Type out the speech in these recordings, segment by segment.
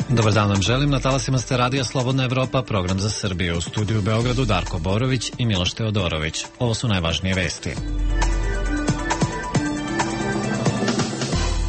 Dobar dan vam želim, na talasima ste Radija Slobodna Evropa, program za Srbiju. U studiju u Beogradu Darko Borović i Miloš Teodorović. Ovo su najvažnije vesti.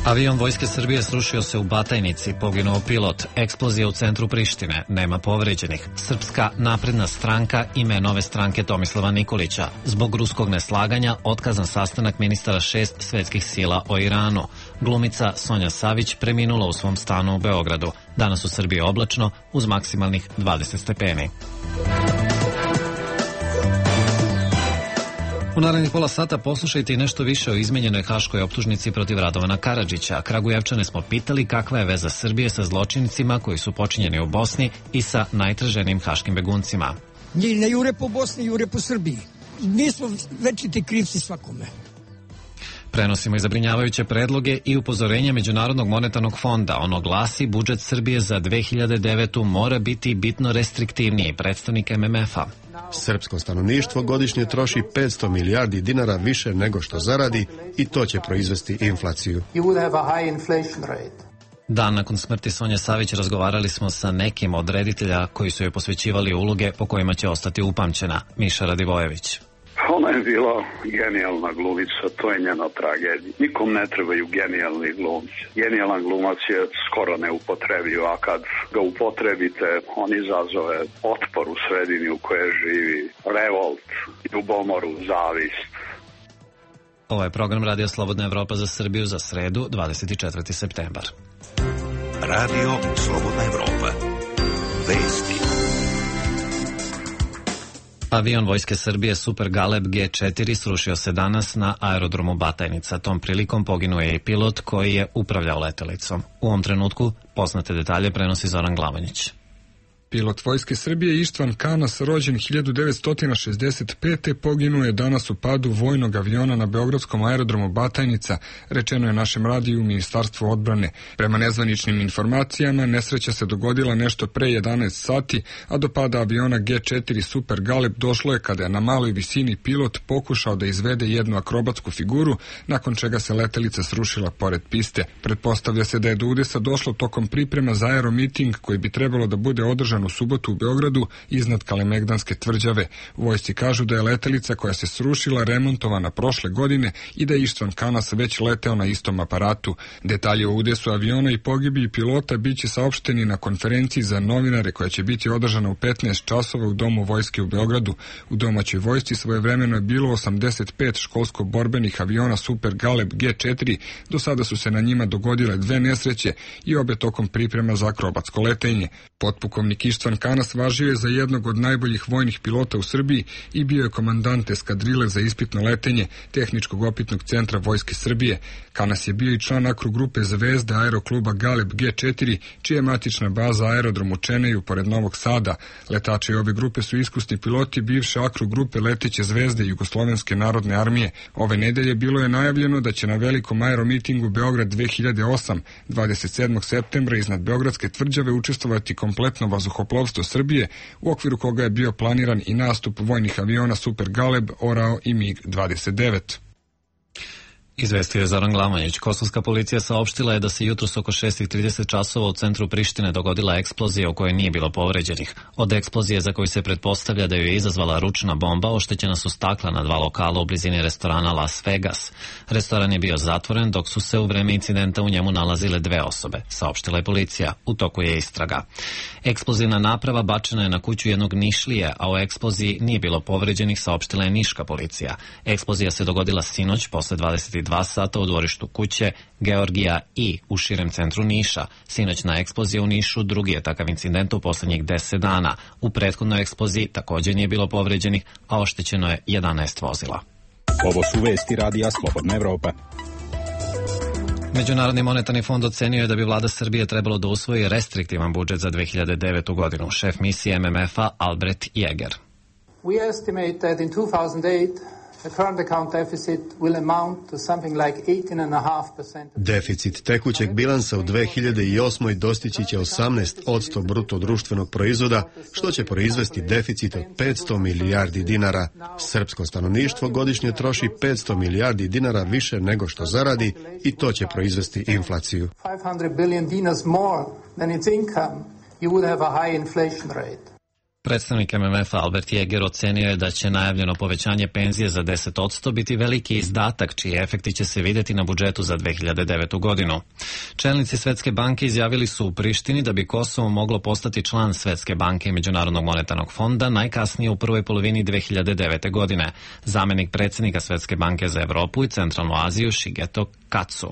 Avion Vojske Srbije srušio se u Batajnici, poginuo pilot, eksplozija u centru Prištine, nema povređenih. Srpska napredna stranka ime nove stranke Tomislava Nikolića. Zbog ruskog neslaganja otkazan sastanak ministara 6 svetskih sila o Iranu. Glumica Sonja Savić preminula u svom stanu u Beogradu. Danas u Srbiji oblačno uz maksimalnih 20 stepeni. U narednih pola sata poslušajte i nešto više o izmenjenoj haškoj optužnici protiv Radovana Karadžića. Kragujevčane smo pitali kakva je veza Srbije sa zločincima koji su počinjeni u Bosni i sa najtraženijim haškim beguncima. Njih ne jure po Bosni, jure po Srbiji. Nismo večiti krivci svakome. Prenosimo i zabrinjavajuće predloge i upozorenja Međunarodnog monetarnog fonda. Ono glasi, budžet Srbije za 2009. mora biti bitno restriktivniji, predstavnik MMF-a. Srpsko stanovništvo godišnje troši 500 milijardi dinara više nego što zaradi i to će proizvesti inflaciju. Dan nakon smrti Sonje Savić razgovarali smo sa nekim od reditelja koji su joj posvećivali uloge po kojima će ostati upamćena. Miša Radivojević. Ona je bila genijalna glumica, to je njena tragedija. Nikom ne trebaju genijalni glumci. Genijalan glumac je skoro neupotrebiv, a kad ga upotrebite, on izazove otpor u sredini u kojoj živi, revolt, ljubomoru, zavist. Ovo je program Radija Slobodna Evropa za Srbiju za sredu, 24. septembar. Radio Slobodna Evropa. Vesti. Avion Vojske Srbije Super Galeb G4 srušio se danas na aerodromu Batajnica. Tom prilikom poginuo je i pilot koji je upravljao letelicom. U ovom trenutku poznate detalje prenosi Zoran Glavonjić. Pilot Vojske Srbije Ištvan Kanas, rođen 1965. poginuo je danas u padu vojnog aviona na beogradskom aerodromu Batajnica, rečeno je našem radiju u Ministarstvu odbrane. Prema nezvaničnim informacijama, nesreća se dogodila nešto pre 11 sati, a do pada aviona G4 Super Galeb došlo je kada je na maloj visini pilot pokušao da izvede jednu akrobatsku figuru, nakon čega se letelica srušila pored piste. Pretpostavlja se da je do udesa došlo tokom priprema za aeromiting koji bi trebalo da bude održan u subotu u Beogradu iznad Kalemegdanske tvrđave. U vojsci kažu da je letelica koja se srušila remontovana prošle godine i da je Ištvan Kanas već leteo na istom aparatu. Detalje o udesu aviona i pogibiji pilota biće saopšteni na konferenciji za novinare koja će biti održana u 15 časova u Domu vojske u Beogradu. U domaćoj vojsci svojevremeno je bilo 85 školsko-borbenih aviona Super Galeb G4. Do sada su se na njima dogodile 2 nesreće i obe tokom priprema za akrobatsko letenje. Potpukovnik Ištvan Kanas važio je za jednog od najboljih vojnih pilota u Srbiji i bio je komandant eskadrile za ispitno letenje Tehničkog opitnog centra Vojske Srbije. Kanas je bio i član akrogrupe Zvezda aerokluba Galeb G4, čija je matična baza aerodrom u Čeneju pored Novog Sada. Letači ove grupe su iskusni piloti bivše akrogrupe Leteće zvezde Jugoslovenske narodne armije. Ove nedelje bilo je najavljeno da će na velikom aeromitingu Beograd 2008 27. septembra iznad Beogradske tvrđave učestvovati kompletno vazduhoplovstvo Srbije, u okviru koga je bio planiran i nastup vojnih aviona Super Galeb, Orao i MiG-29. Izvestio je Zoran Glavonjić. Kosovska policija saopštila je da se jutros oko 6:30 časova u centru Prištine dogodila eksplozija u kojoj nije bilo povređenih. Od eksplozije za koju se pretpostavlja da ju je izazvala ručna bomba, oštećena su stakla na 2 lokala u blizini restorana Las Vegas. Restoran je bio zatvoren dok su se u vreme incidenta u njemu nalazile 2 osobe, saopštila je policija. U toku je istraga. Eksplozivna naprava bačena je na kuću jednog Nišlije, a o eksploziji nije bilo povređenih, saopštila je niška policija. Eksplozija se dogodila sinoć posle 22 sata u dvorištu kuće Georgija I u širem centru Niša. Sinoćna eksplozija u Nišu drugi je takav incident u poslednjih 10 dana. U prethodnoj eksploziji također nije bilo povređenih, a oštećeno je 11 vozila. Ovo su vesti Radija Slobodna Evropa. Međunarodni monetarni fond ocenio je da bi vlada Srbije trebalo da usvoji restriktivan budžet za 2009. godinu. Šef misije MMF-a Albert Jäger. We estimate that in 2008 Deficit tekućeg bilansa u 2008. dostići će 18% bruto društvenog proizvoda, što će proizvesti deficit od 500 milijardi dinara. Srpsko stanovništvo godišnje troši 500 milijardi dinara više nego što zaradi i to će proizvesti inflaciju. Predstavnik MMF-a Albert Jäger ocenio je da će najavljeno povećanje penzije za 10% biti veliki izdatak, čiji efekti će se vidjeti na budžetu za 2009. godinu. Čelnici Svetske banke izjavili su u Prištini da bi Kosovo moglo postati član Svetske banke i Međunarodnog monetarnog fonda najkasnije u prvoj polovini 2009. godine. Zamenik predsjednika Svetske banke za Evropu i Centralnu Aziju Shigeto Katsu.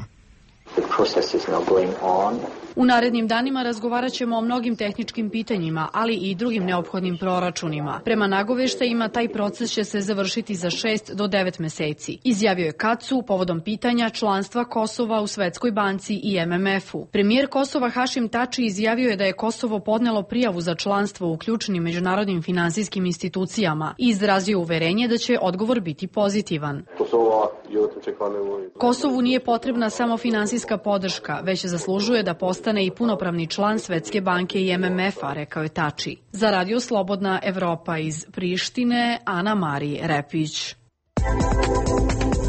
U narednim danima razgovarat ćemo o mnogim tehničkim pitanjima, ali i drugim neophodnim proračunima. Prema nagoveštajima, taj proces će se završiti za 6 do 9 meseci, izjavio je Katsu povodom pitanja članstva Kosova u Svetskoj banci i MMF-u. Premijer Kosova Hašim Tači izjavio je da je Kosovo podnelo prijavu za članstvo u ključnim međunarodnim finansijskim institucijama i izrazio uverenje da će odgovor biti pozitivan. Kosovu nije potrebna samo finansijska podrška, već zaslužuje da postane i punopravni član Svetske banke i MMF-a, rekao je Tači. Za Radio Slobodna Evropa iz Prištine, Ana Mari Repić.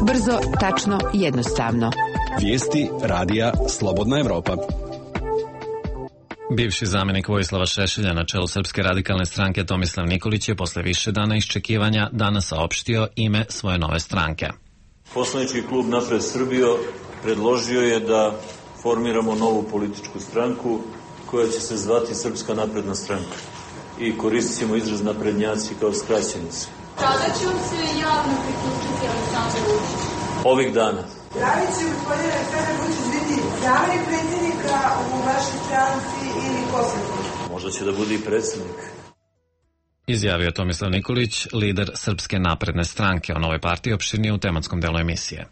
Brzo, tačno, jednostavno. Vijesti Radija Slobodna Evropa. Bivši zamjenik Vojislava Šešelja na čelu Srpske radikalne stranke Tomislav Nikolić je posle više dana iščekivanja danas saopštio ime svoje nove stranke. Poslanički klub Napred Srbijo predložio je da formiramo novu političku stranku koja će se zvati Srpska napredna stranka i koristit ćemo izraz naprednjaci kao skraćenicu. Kada će vam se javno priključiti Aleksandar Vučić? Ovih dana. Da li će gospodin Aleksandar Vučić biti zamjenik predsjednika u vašoj stranci ili poslednji? Možda će da bude i predsjednik. Izjavio Tomislav Nikolić, lider Srpske napredne stranke. O novoj partiji opširnije u tematskom delu emisije.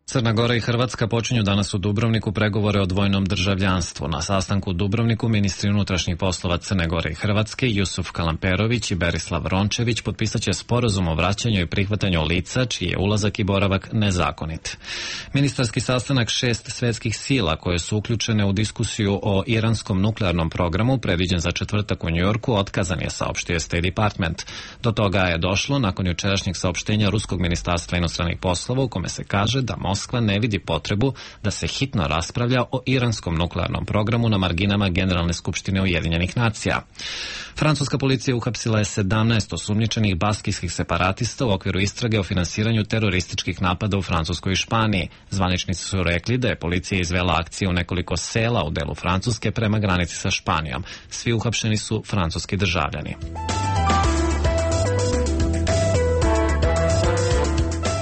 Crna Gora i Hrvatska počinju danas u Dubrovniku pregovore o dvojnom državljanstvu. Na sastanku u Dubrovniku ministri unutrašnjih poslova Crne Gore i Hrvatske Jusuf Kalamperović i Berislav Rončević potpisaće sporazum o vraćanju i prihvatanju lica čiji je ulazak i boravak nezakonit. Ministarski sastanak 6 svetskih sila koje su uključene u diskusiju o iranskom nuklearnom programu predviđen za četvrtak u Njujorku otkazan je, saopštio State Department. Do toga je došlo nakon jučerašnjeg saopštenja Ruskog ministarstva inostranih poslova u kome se kaže da Moskva ne vidi potrebu da se hitno raspravlja o iranskom nuklearnom programu na marginama Generalne skupštine Ujedinjenih nacija. Francuska policija uhapsila je 17 osumnjičenih baskijskih separatista u okviru istrage o finansiranju terorističkih napada u Francuskoj i Španiji. Zvaničnici su rekli da je policija izvela akcije u nekoliko sela u delu Francuske prema granici sa Španijom. Svi uhapšeni su francuski državljani.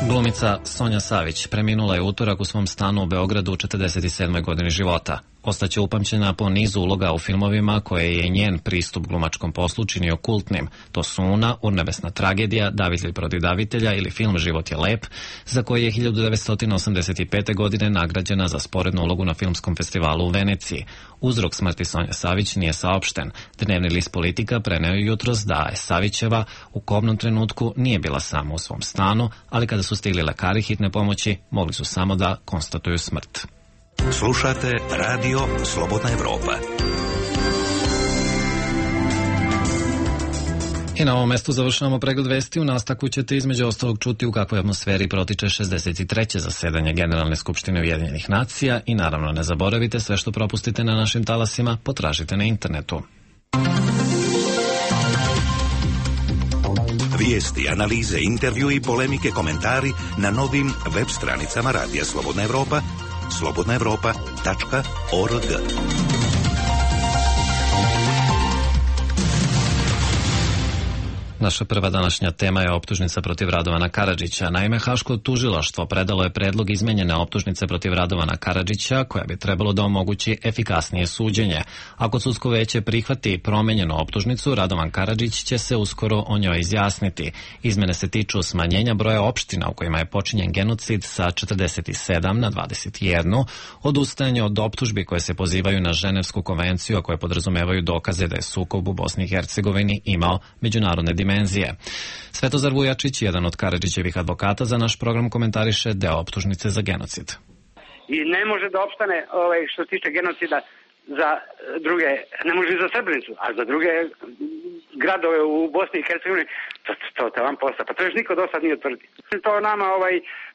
Glumica Sonja Savić preminula je utorak u svom stanu u Beogradu u 47. godini života. Ostaće upamćena po nizu uloga u filmovima koje je njen pristup glumačkom poslu činio kultnim. To su Una, Urnebesna tragedija, Davitelj protiv davitelja ili film Život je lep, za koji je 1985. godine nagrađena za sporednu ulogu na filmskom festivalu u Veneciji. Uzrok smrti Sonje Savić nije saopšten. Dnevni list Politika preneo je jutros da je Savićeva u kobnom trenutku nije bila sama u svom stanu, ali kada su stigli lekari hitne pomoći, mogli su samo da konstatuju smrt. Slušate Radio Slobodna Evropa. I na ovom mestu završavamo pregled vesti. U nastavku ćete između ostalog čuti u kakvoj atmosferi protiče 63. zasedanje Generalne skupštine Ujedinjenih nacija i naravno ne zaboravite, sve što propustite na našim talasima potražite na internetu. Vijesti, analize, intervju i polemike, komentari na novim web stranicama Radija Slobodna Evropa, slobodnaevropa.org. Naša prva današnja tema je optužnica protiv Radovana Karadžića. Naime, Haško tužilaštvo predalo je predlog izmenjene optužnice protiv Radovana Karadžića, koja bi trebalo da omogući efikasnije suđenje. Ako sudsko veće prihvati promenjenu optužnicu, Radovan Karadžić će se uskoro o njoj izjasniti. Izmene se tiču smanjenja broja opština u kojima je počinjen genocid sa 47 na 21, odustajanje od optužbi koje se pozivaju na Ženevsku konvenciju, a koje podrazumevaju dokaze da je sukob u Bosni i Hercegovini imao međunarodne dimenzije. dimenzije. Svetozar Vujačić, jedan od Karadžićevih advokata, za naš program komentariše deo optužnice za genocid. I ne može da opstane što se tiče genocida za druge, ne može i za Srebrenicu, a za druge gradove u Bosni i Hercegovini, to vam posla. Pa to još niko do sad nije utvrdio. To nama,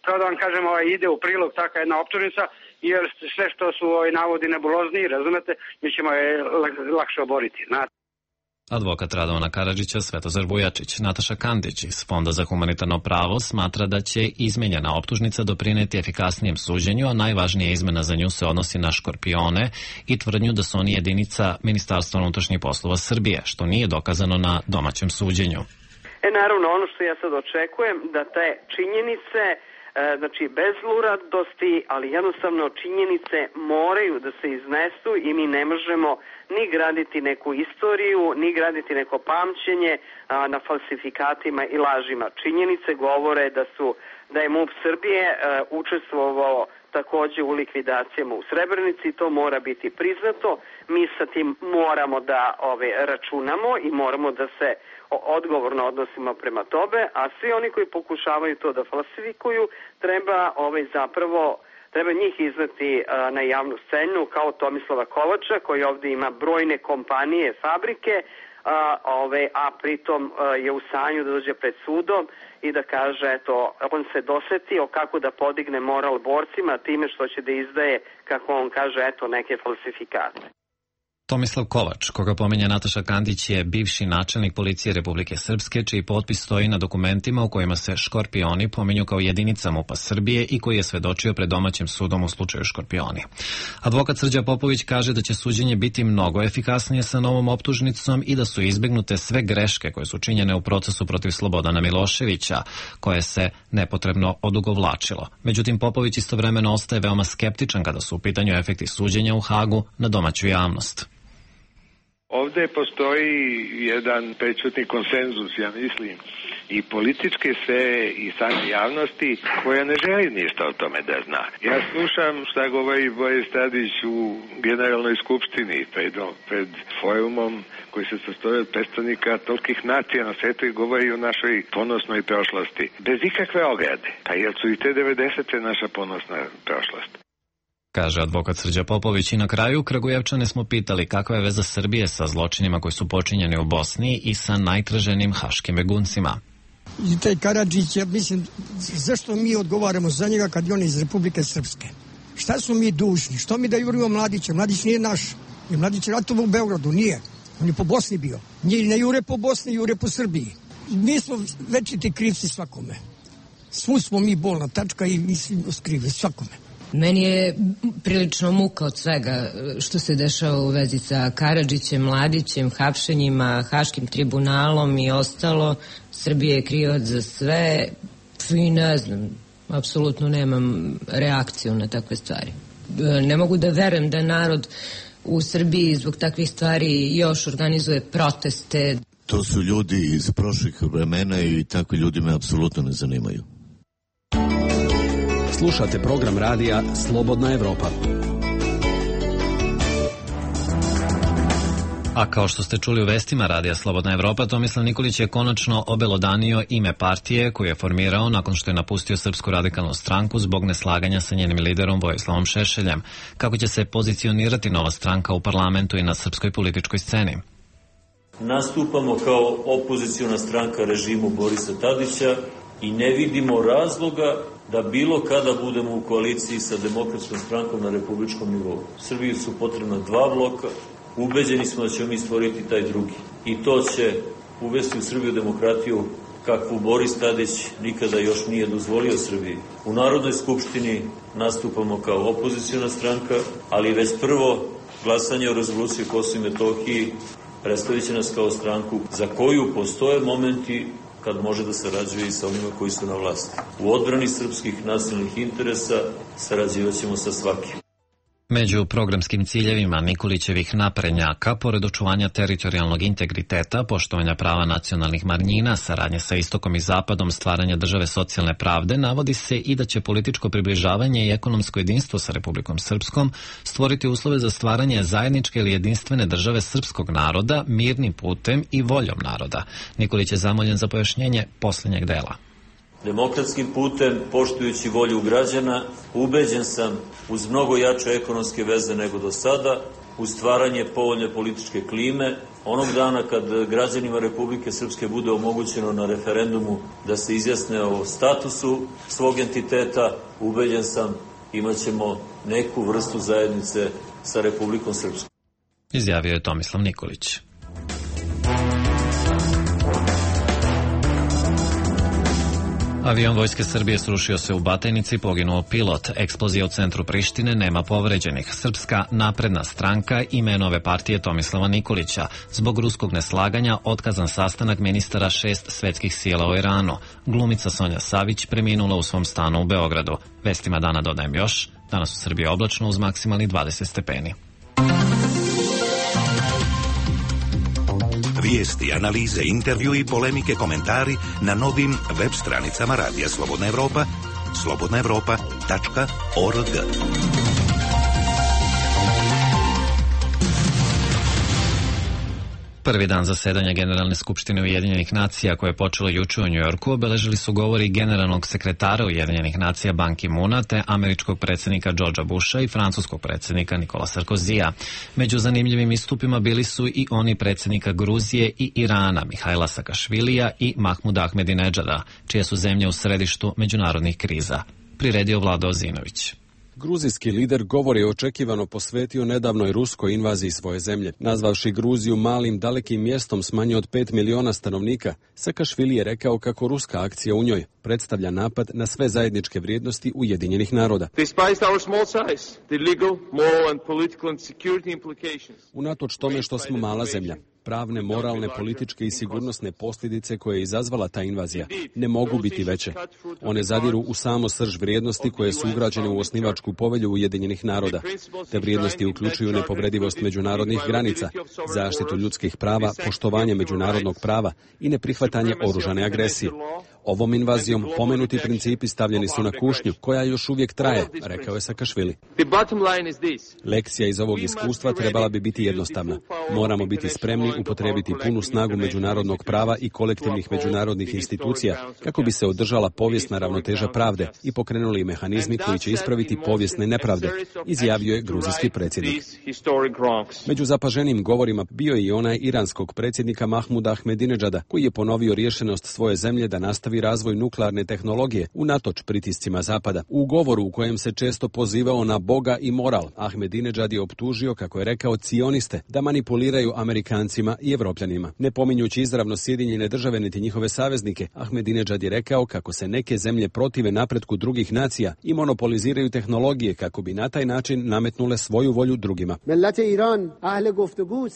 pravo da vam kažem, ide u prilog takva jedna optužnica, jer sve što su navodi nebulozni, razumete, mi ćemo je lakše oboriti. Advokat Radovana Karadžića, Svetozar Vujačić. Nataša Kandić iz Fonda za humanitarno pravo smatra da će izmenjena optužnica doprineti efikasnijem suđenju, a najvažnija izmena za nju se odnosi na škorpione i tvrdnju da su oni jedinica Ministarstva unutrašnjih poslova Srbije, što nije dokazano na domaćem suđenju. Naravno, ono što ja sad očekujem, da te činjenice, znači bez zluradosti, ali jednostavno činjenice moraju da se iznesu i mi ne možemo ni graditi neku istoriju, ni graditi neko pamćenje na falsifikatima i lažima. Činjenice govore da je MUP Srbije učestvovao takođe u likvidacijama u Srebrenici, to mora biti priznato. Mi sa tim moramo da računamo i moramo da se odgovorno odnosimo prema tome, a svi oni koji pokušavaju to da falsifikuju, treba njih izneti na javnu scenu kao Tomislava Kovača, koji ovde ima brojne kompanije, fabrike, a pritom je u stanju da dođe pred sudom i da kaže, eto, on se dosetio kako da podigne moral borcima time što će da izdaje, kako on kaže, eto, neke falsifikate. Tomislav Kovač, koga pominje Nataša Kandić, je bivši načelnik policije Republike Srpske, čiji potpis stoji na dokumentima u kojima se škorpioni pominju kao jedinica MUP-a Srbije i koji je svedočio pred domaćim sudom u slučaju škorpioni. Advokat Srđa Popović kaže da će suđenje biti mnogo efikasnije sa novom optužnicom i da su izbegnute sve greške koje su činjene u procesu protiv Slobodana Miloševića, koje se nepotrebno odugovlačilo. Međutim, Popović istovremeno ostaje veoma skeptičan kada su u pitanju efekti suđenja u Hagu na domaću javnost. Ovde postoji jedan prećutni konsenzus, ja mislim, i političke sfere i same javnosti koja ne želi ništa o tome da zna. Ja slušam šta govori Boris Tadić u Generalnoj skupštini pred forumom koji se sastoji od predstavnika tolikih nacija na svetu i govori o našoj ponosnoj prošlosti. Bez ikakve ograde. Pa jel su i te 90. naša ponosna prošlost? Kaže advokat Srđa Popović. I na kraju Kragujevčane smo pitali kakva je veza Srbije sa zločinima koji su počinjeni u Bosni i sa najtraženim haškim beguncima. I taj Karadžić, ja mislim, zašto mi odgovaramo za njega kad je on iz Republike Srpske? Šta smo mi dužni? Što mi da jurimo Mladića? Mladić nije naš. I Mladić je ratovao u Beogradu, nije. On je po Bosni bio. Nije ne jure po Bosni, jure po Srbiji. Mi smo večiti krivci svakome. Svu smo mi bolna tačka i mi svi skrivi svakome. Meni je prilično muka od svega što se dešava u vezi sa Karadžićem, Mladićem, hapšenjima, Haškim tribunalom i ostalo. Srbija je krivac za sve i ne znam, apsolutno nemam reakciju na takve stvari. Ne mogu da verujem da narod u Srbiji zbog takvih stvari još organizuje proteste. To su ljudi iz prošlih vremena i takvi ljudi me apsolutno ne zanimaju. Slušate program radija Slobodna Evropa. A kao što ste čuli u vestima radija Slobodna Evropa, Tomislav Nikolić je konačno obelodanio ime partije koju je formirao nakon što je napustio Srpsku radikalnu stranku zbog neslaganja sa njenim liderom Vojislavom Šešeljem. Kako će se pozicionirati nova stranka u parlamentu i na srpskoj političkoj sceni? Nastupamo kao opoziciona stranka režimu Borisa Tadića i ne vidimo razloga da bilo kada budemo u koaliciji sa Demokratskom strankom na republičkom nivou. Srbiji su potrebna dva bloka, ubeđeni smo da ćemo mi stvoriti taj drugi. I to će uvesti u Srbiju demokratiju kakvu Boris Tadić nikada još nije dozvolio Srbiji. U Narodnoj skupštini nastupamo kao opoziciona stranka, ali već prvo glasanje o rezoluciji o Kosovu i Metohiji predstavit će nas kao stranku za koju postoje momenti kad može da sarađuje i sa onima koji su na vlasti. U odbrani srpskih nacionalnih interesa sarađivat ćemo sa svakim. Među programskim ciljevima Nikolićevih naprednjaka, pored očuvanja teritorijalnog integriteta, poštovanja prava nacionalnih manjina, saradnje sa istokom i zapadom, stvaranja države socijalne pravde, navodi se i da će političko približavanje i ekonomsko jedinstvo sa Republikom Srpskom stvoriti uslove za stvaranje zajedničke ili jedinstvene države srpskog naroda mirnim putem i voljom naroda. Nikolić je zamoljen za pojašnjenje posljednjeg dela. Demokratskim putem, poštujući volju građana, ubeđen sam uz mnogo jače ekonomske veze nego do sada, u stvaranje povoljne političke klime, onog dana kad građanima Republike Srpske bude omogućeno na referendumu da se izjasne o statusu svog entiteta, ubeđen sam imaćemo neku vrstu zajednice sa Republikom Srpskom. Izjavio je Tomislav Nikolić. Avion Vojske Srbije srušio se u Batajnici, poginuo pilot. Eksplozija u centru Prištine, nema povređenih. Srpska napredna stranka ime nove partije Tomislava Nikolića. Zbog ruskog neslaganja otkazan sastanak ministara 6 svetskih sila u Iranu. Glumica Sonja Savić preminula u svom stanu u Beogradu. Vestima dana dodajem još. Danas u Srbiji oblačno uz maksimalni 20 stepeni. Vijesti, analize, intervju i polemike, komentari na novim web stranicama Radija Slobodna Evropa, slobodnaevropa.org. Prvi dan zasedanja Generalne skupštine Ujedinjenih nacija, koje je počelo juče u Njujorku, obeležili su govori generalnog sekretara Ujedinjenih nacija Ban Ki-moona te američkog predsjednika Georgea Busha i francuskog predsjednika Nicola Sarkozija. Među zanimljivim istupima bili su i oni predsjednika Gruzije i Irana, Mihajla Sakašvilija i Mahmuda Ahmedinedžada, čije su zemlje u središtu međunarodnih kriza. Priredio Vlado Ozinović. Gruzijski lider govor je očekivano posvetio nedavnoj ruskoj invaziji svoje zemlje. Nazvavši Gruziju malim, dalekim mjestom s manje od 5 miliona stanovnika, Sakašvili je rekao kako ruska akcija u njoj predstavlja napad na sve zajedničke vrijednosti Ujedinjenih naroda. Unatoč tome što smo mala zemlja, pravne, moralne, političke i sigurnosne posljedice koje je izazvala ta invazija ne mogu biti veće. One zadiru u samo srž vrijednosti koje su ugrađene u osnivačku povelju Ujedinjenih naroda. Te vrijednosti uključuju nepovredivost međunarodnih granica, zaštitu ljudskih prava, poštovanje međunarodnog prava i neprihvatanje oružane agresije. Ovom invazijom pomenuti principi stavljeni su na kušnju, koja još uvijek traje, rekao je Sakašvili. Lekcija iz ovog iskustva trebala bi biti jednostavna. Moramo biti spremni upotrijebiti punu snagu međunarodnog prava i kolektivnih međunarodnih institucija kako bi se održala povijesna ravnoteža pravde i pokrenuli mehanizmi koji će ispraviti povijesne nepravde, izjavio je gruzijski predsjednik. Među zapaženim govorima bio je i onaj iranskog predsjednika Mahmuda Ahmedinedžada, koji je ponovio rješenost svoje zemlje da nastavi razvoj nuklearne tehnologije unatoč pritiscima Zapada. U govoru u kojem se često pozivao na Boga i moral, Ahmedinedžad je optužio, kako je rekao, cioniste da manipuliraju Amerikancima i Evropljanima. Ne pominjući izravno Sjedinjene države niti njihove saveznike, Ahmedinedžad je rekao kako se neke zemlje protive napretku drugih nacija i monopoliziraju tehnologije kako bi na taj način nametnule svoju volju drugima.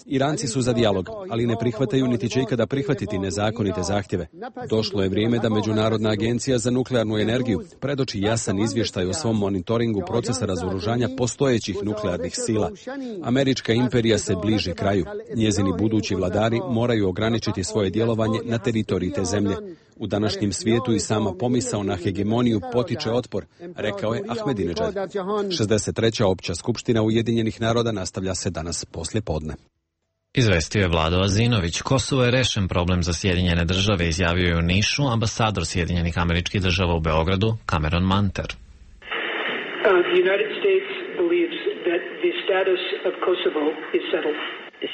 Iranci su za dijalog, ali ne prihvataju niti će ikada prihvatiti nezakonite zahtjeve. Došlo je vrijeme da Međunarodna agencija za nuklearnu energiju predoči jasan izvještaj o svom monitoringu procesa razoružanja postojećih nuklearnih sila. Američka imperija se bliži kraju. Njezini budući vladari moraju ograničiti svoje djelovanje na teritoriji te zemlje. U današnjem svijetu i sama pomisao na hegemoniju potiče otpor, rekao je Ahmedinedžad. 63. opća skupština Ujedinjenih naroda nastavlja se danas poslije podne. Izvestio je Vlado Azinović. Kosovo je rešen problem za Sjedinjene države, izjavio je u Nišu ambasador Sjedinjenih Američkih Država u Beogradu, Cameron Manter.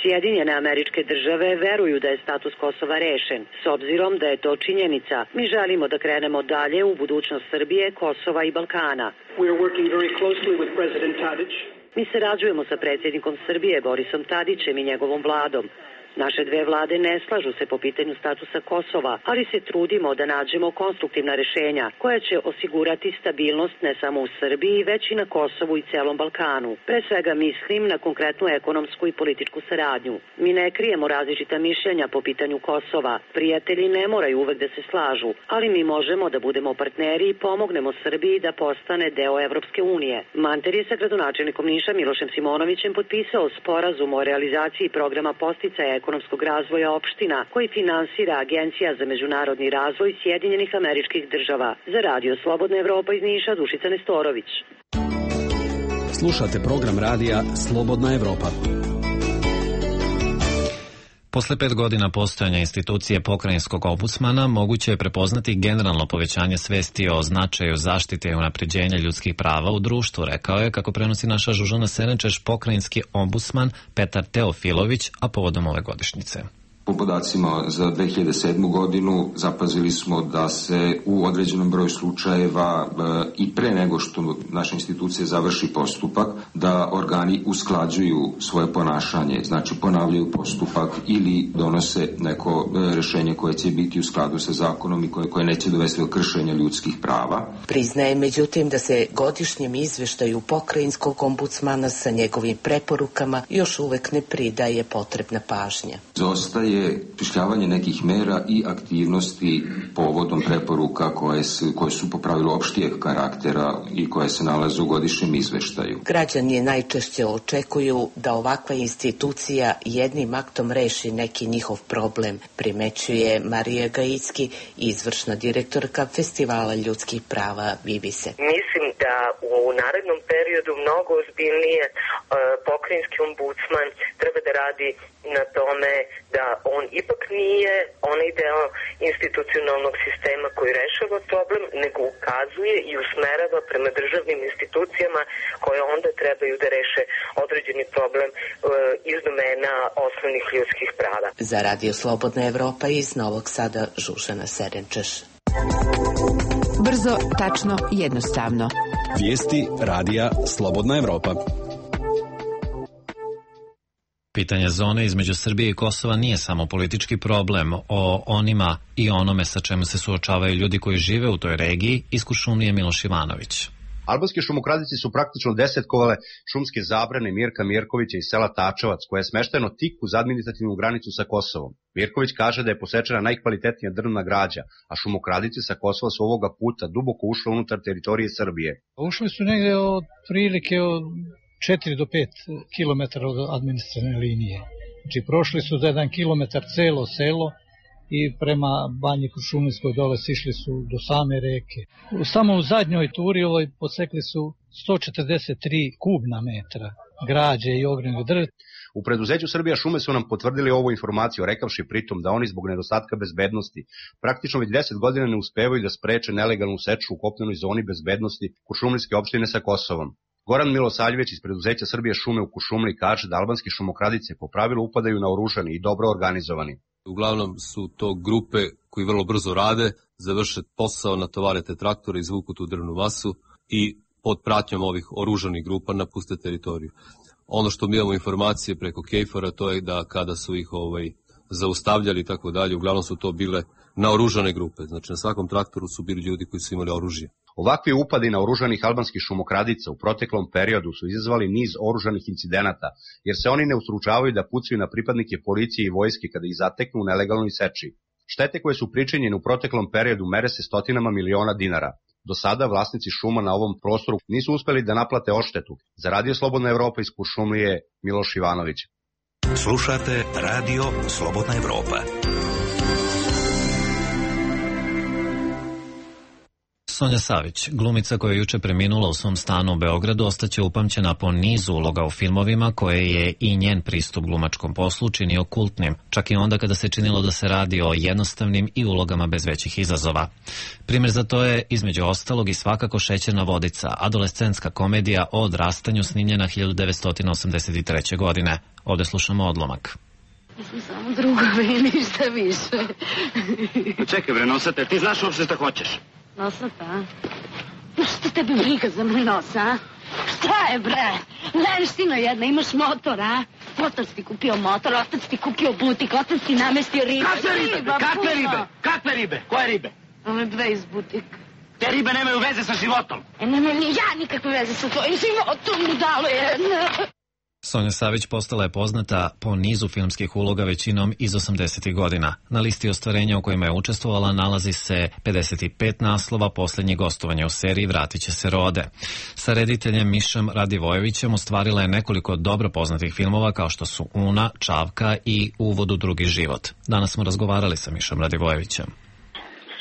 Sjedinjene Američke Države veruju da je status Kosova rešen. S obzirom da je to činjenica, mi želimo da krenemo dalje u budućnost Srbije, Kosova i Balkana. Mi sarađujemo sa predsjednikom Srbije Borisom Tadićem i njegovom vladom. Naše dve vlade ne slažu se po pitanju statusa Kosova, ali se trudimo da nađemo konstruktivna rešenja koja će osigurati stabilnost ne samo u Srbiji, već i na Kosovu i celom Balkanu. Pre svega mislim na konkretnu ekonomsku i političku saradnju. Mi ne krijemo različita mišljenja po pitanju Kosova. Prijatelji ne moraju uvek da se slažu, ali mi možemo da budemo partneri i pomognemo Srbiji da postane deo Evropske unije. Manter je sa gradonačelnikom Niša Milošem Simonovićem potpisao sporazum o realizaciji programa podsticaja ekonomskog razvoja opština koji finansira Agencija za međunarodni razvoj Sjedinjenih Američkih Država. Za Radio Slobodna Evropa iz Niša, Dušica Nestorović. Slušate program radija Slobodna Evropa. Posle 5 godina postojanja institucije pokrajinskog ombudsmana moguće je prepoznati generalno povećanje svesti o značaju zaštite i unapređenja ljudskih prava u društvu, rekao je, kako prenosi naša Žužana Serenčeš, pokrajinski ombudsman Petar Teofilović, a povodom ove godišnjice. Po podacima za 2007. godinu zapazili smo da se u određenom broju slučajeva i pre nego što naša institucija završi postupak, da organi usklađuju svoje ponašanje, znači ponavljaju postupak ili donose neko rešenje koje će biti u skladu sa zakonom i koje neće dovesti do kršenja ljudskih prava. Priznaje međutim da se godišnjem izveštaju pokrajinskog ombudsmana sa njegovim preporukama još uvek ne pridaje potrebna pažnja. Zostaje pišljavanje nekih mera i aktivnosti povodom preporuka koje su po pravilu opštijeg karaktera i koje se nalaze u godišnjem izveštaju. Građani najčešće očekuju da ovakva institucija jednim aktom reši neki njihov problem, primećuje Marija Gajicki, izvršna direktorka Festivala ljudskih prava Vivise. Mislim da u narednom periodu mnogo ozbiljnije pokrajinski ombudsman treba da radi na tome da on ipak nije onaj deo institucionalnog sistema koji rešava problem, nego ukazuje i usmerava prema državnim institucijama koje onda trebaju da reše određeni problem iz domena osnovnih ljudskih prava. Za Radio Slobodna Evropa iz Novog Sada, Žužana Serenčeš. Brzo, tačno, jednostavno. Vijesti radija Slobodna Evropa. Pitanje zone između Srbije i Kosova nije samo politički problem. O onima i onome sa čemu se suočavaju ljudi koji žive u toj regiji iz Kuršumlije Miloš Ivanović. Albanski šumokradici su praktično desetkovale šumske zabrane Mirka Mirkovića iz sela Tačevac, koje je smešteno tik uz administrativnu granicu sa Kosovom. Mirković kaže da je posečena najkvalitetnija drvna građa, a šumokradici sa Kosova su ovoga puta duboko ušle unutar teritorije Srbije. Ušli su negde od prilike od 4 do 5 kilometara od administrativne linije. Znači prošli su za 1 kilometar celo selo i prema Banji Kuršumlijskoj dole sišli su do same reke. Samo u zadnjoj turi posekli su 143 kubna metra građe i ogromnog drveta. U preduzeću Srbija šume su nam potvrdili ovu informaciju, rekavši pritom da oni zbog nedostatka bezbednosti praktično već 10 godina ne uspevaju da spreče nelegalnu seču u kopnenoj zoni bezbednosti Kuršumlijske opštine sa Kosovom. Goran Milosaljević iz preduzeća Srbije šume u Kuršumliji kaže da albanski šumokradice po pravilu upadaju naoružani i dobro organizovani. Uglavnom su to grupe koji vrlo brzo rade, završe posao, natovare te traktore, izvuku tu drvnu masu i pod pratnjom ovih oružanih grupa napuste teritoriju. Ono što mi imamo informacije preko KFOR-a, to je da kada su ih zaustavljali i tako dalje, uglavnom su to bile naoružane grupe. Znači na svakom traktoru su bili ljudi koji su imali oružje. Ovakvi upadi naoružanih albanskih šumokradica u proteklom periodu su izazvali niz oružanih incidenata, jer se oni ne ustručavaju da pucaju na pripadnike policije i vojske kada ih zateknu u nelegalnoj seči. Štete koje su pričinjene u proteklom periodu mere se stotinama miliona dinara. Do sada vlasnici šuma na ovom prostoru nisu uspeli da naplate odštetu. Za Radio Slobodna Evropa iz Kuršumlije Miloš Ivanović. Slušate Radio Slobodna Evropa. Sonja Savić, glumica koja je juče preminula u svom stanu u Beogradu, ostaće upamćena po nizu uloga u filmovima koje je i njen pristup glumačkom poslu činio kultnim, čak i onda kada se činilo da se radi o jednostavnim i ulogama bez većih izazova. Primjer za to je, između ostalog, i svakako Šećerna vodica, adolescentska komedija o odrastanju snimljena 1983. godine. Ovde slušamo odlomak. Mislim samo drugovi, ništa više. Čekaj bre, nosate, ti znaš uopšte šta hoćeš? Nosata, a? Šta tebi briga za moj nos, a? Šta je, bre? Lenština jedna, imaš motor, a? Otac ti kupio motor, otac ti kupio butik, otac ti namestio ribe. Kakve ribe? Koje ribe? Ove dve iz butika. Te ribe nemaju veze sa životom. Nemam ni ja nikakve veze sa tvojim životom, budalo jedna. Sonja Savić postala je poznata po nizu filmskih uloga, većinom iz 80. godina. Na listi ostvarenja u kojima je učestvovala nalazi se 55 naslova, posljednje gostovanje u seriji Vratit će se rode. Sa rediteljem Mišom Radivojevićem ostvarila je nekoliko dobro poznatih filmova kao što su Una, Čavka i Uvod u drugi život. Danas smo razgovarali sa Mišom Radivojevićem.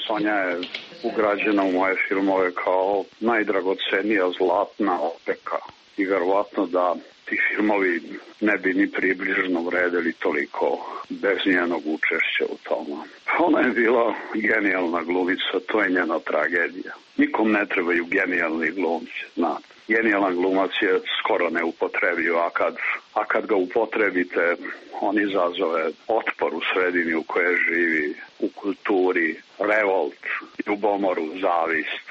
Sonja je ugrađena u moje filmove kao najdragocenija zlatna opeka i verovatno da ti filmovi ne bi ni približno vredeli toliko bez njenog učešća u tome. Ona je bila genijalna glumica, to je njena tragedija. Nikom ne trebaju genijalni glumci, znate. Genijalan glumac je skoro neupotrebiv, a kad ga upotrebite, on izazove otpor u sredini u kojoj živi, u kulturi, revolt, ljubomoru, zavist.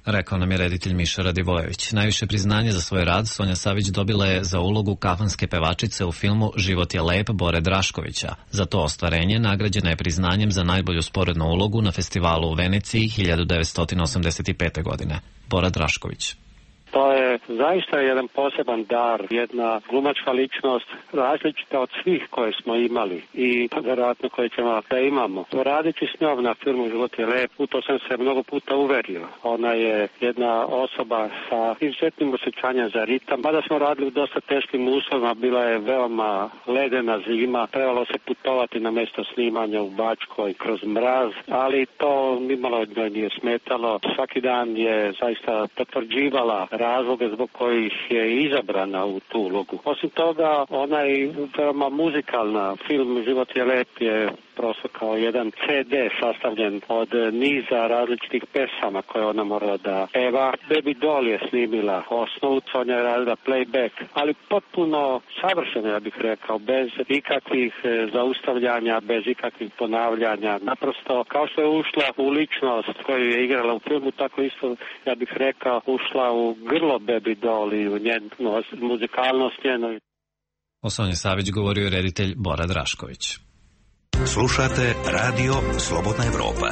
Rekao nam je reditelj Miša Radivojević. Najviše priznanje za svoj rad Sonja Savić dobila je za ulogu kafanske pevačice u filmu Život je lep Bore Draškovića. Za to ostvarenje nagrađena je priznanjem za najbolju sporednu ulogu na festivalu u Veneciji 1985. godine. Bora Drašković. To je zaista jedan poseban dar, jedna glumačka ličnost različita od svih koje smo imali i vjerojatno koje ćemo da imamo. Radeći s njom na filmu Život je lep, u to sam se mnogo puta uverio. Ona je jedna osoba sa izuzetnim osjećanjem za ritam. Mada smo radili u dosta teškim uslovima, bila je veoma ledena zima, trebalo se putovati na mjesto snimanja u Bačkoj kroz mraz, ali to nimalo od njoj nije smetalo. Svaki dan je zaista potvrđivala razloge zbog kojih je izabrana u tu ulogu. Osim toga, ona je veoma muzikalna. Film Život je lep je prosto kao jedan CD sastavljen od niza različitih pesama koje ona morala da peva. Baby Doll je snimila osnovu, Sonja je radila playback, ali potpuno savršeno, ja bih rekao, bez ikakvih zaustavljanja, bez ikakvih ponavljanja. Naprosto, kao što je ušla u ličnost koju je igrala u filmu, tako isto, ja bih rekao, ušla u grlo Baby Doll i u njenu muzikalnost njenu. O Sonji Savić govorio reditelj Bora Drašković. Slušate Radio Slobodna Evropa.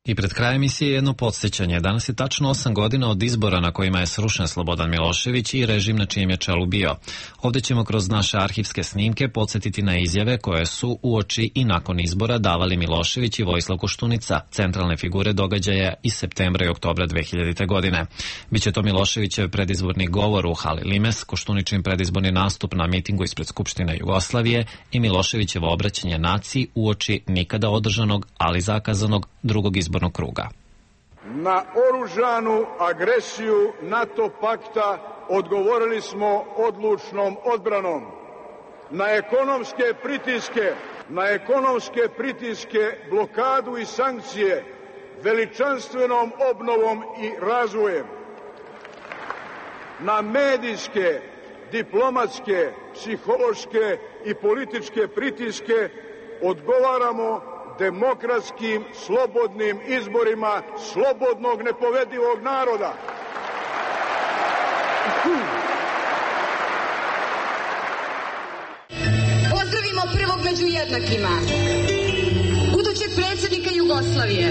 I pred krajem emisije jedno podsjećanje. Danas je tačno 8 godina od izbora na kojima je srušen Slobodan Milošević i režim na čijem je čelu bio. Ovdje ćemo kroz naše arhivske snimke podsjetiti na izjave koje su uoči i nakon izbora davali Milošević i Vojislav Koštunica, centralne figure događaja iz septembra i oktobra 2000. godine. Biće to Miloševićev predizborni govor u hali Limes, Koštuničin predizborni nastup na mitingu ispred Skupštine Jugoslavije i Miloševićevo obraćanje naciji uoči nikada održanog, ali zakazanog drugog izbornog kruga. Na oružanu agresiju NATO pakta odgovorili smo odlučnom odbranom. Na ekonomske pritiske, blokadu i sankcije veličanstvenom obnovom i razvojem. Na medijske, diplomatske, psihološke i političke pritiske odgovaramo demokratskim, slobodnim izborima slobodnog, nepovedivog naroda. Pozdravimo prvog među jednakima, budućeg predsjednika Jugoslavije,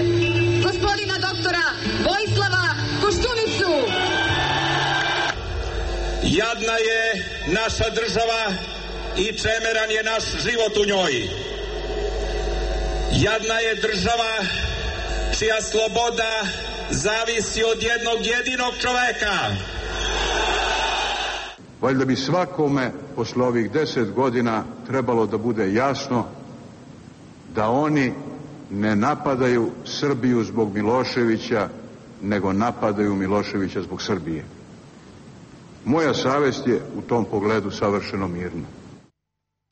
gospodina doktora Vojislava Koštunicu. Jadna je naša država i čemeran je naš život u njoj. Jadna je država čija sloboda zavisi od jednog jedinog čoveka. Valjda bi svakome posle ovih 10 godina trebalo da bude jasno da oni ne napadaju Srbiju zbog Miloševića, nego napadaju Miloševića zbog Srbije. Moja savest je u tom pogledu savršeno mirna.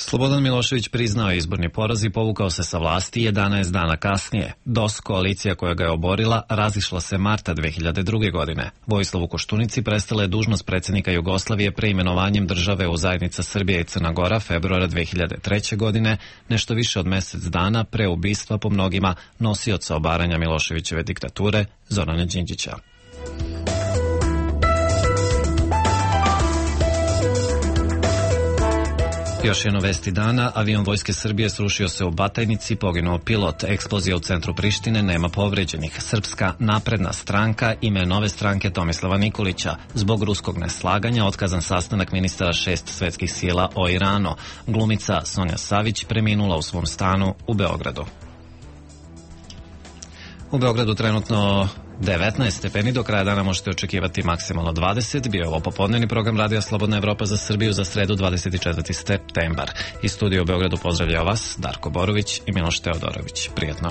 Slobodan Milošević priznao je izborni poraz i povukao se sa vlasti 11 dana kasnije. DOS, koalicija koja ga je oborila, razišla se marta 2002. godine. Vojislavu Koštunici prestala je dužnost predsjednika Jugoslavije preimenovanjem države u zajednica Srbija i Crna Gora februara 2003. godine, nešto više od mjesec dana pre ubistva po mnogima nosioca obaranja Miloševićeve diktature, Zorana Đinđića. Još jedno vesti dana, avion Vojske Srbije srušio se u Batajnici, poginuo pilot, eksplozija u centru Prištine, nema povređenih. Srpska napredna stranka, ime nove stranke Tomislava Nikolića. Zbog ruskog neslaganja otkazan sastanak ministara 6 svetskih sila o Iranu. Glumica Sonja Savić preminula u svom stanu u Beogradu. U Beogradu trenutno 19 stepeni, do kraja dana možete očekivati maksimalno 20. Bio je ovo popodnevni program Radija Slobodna Evropa za Srbiju za sredu 24. septembar. Iz studija u Beogradu pozdravljaju vas Darko Borović i Miloš Teodorović. Prijetno.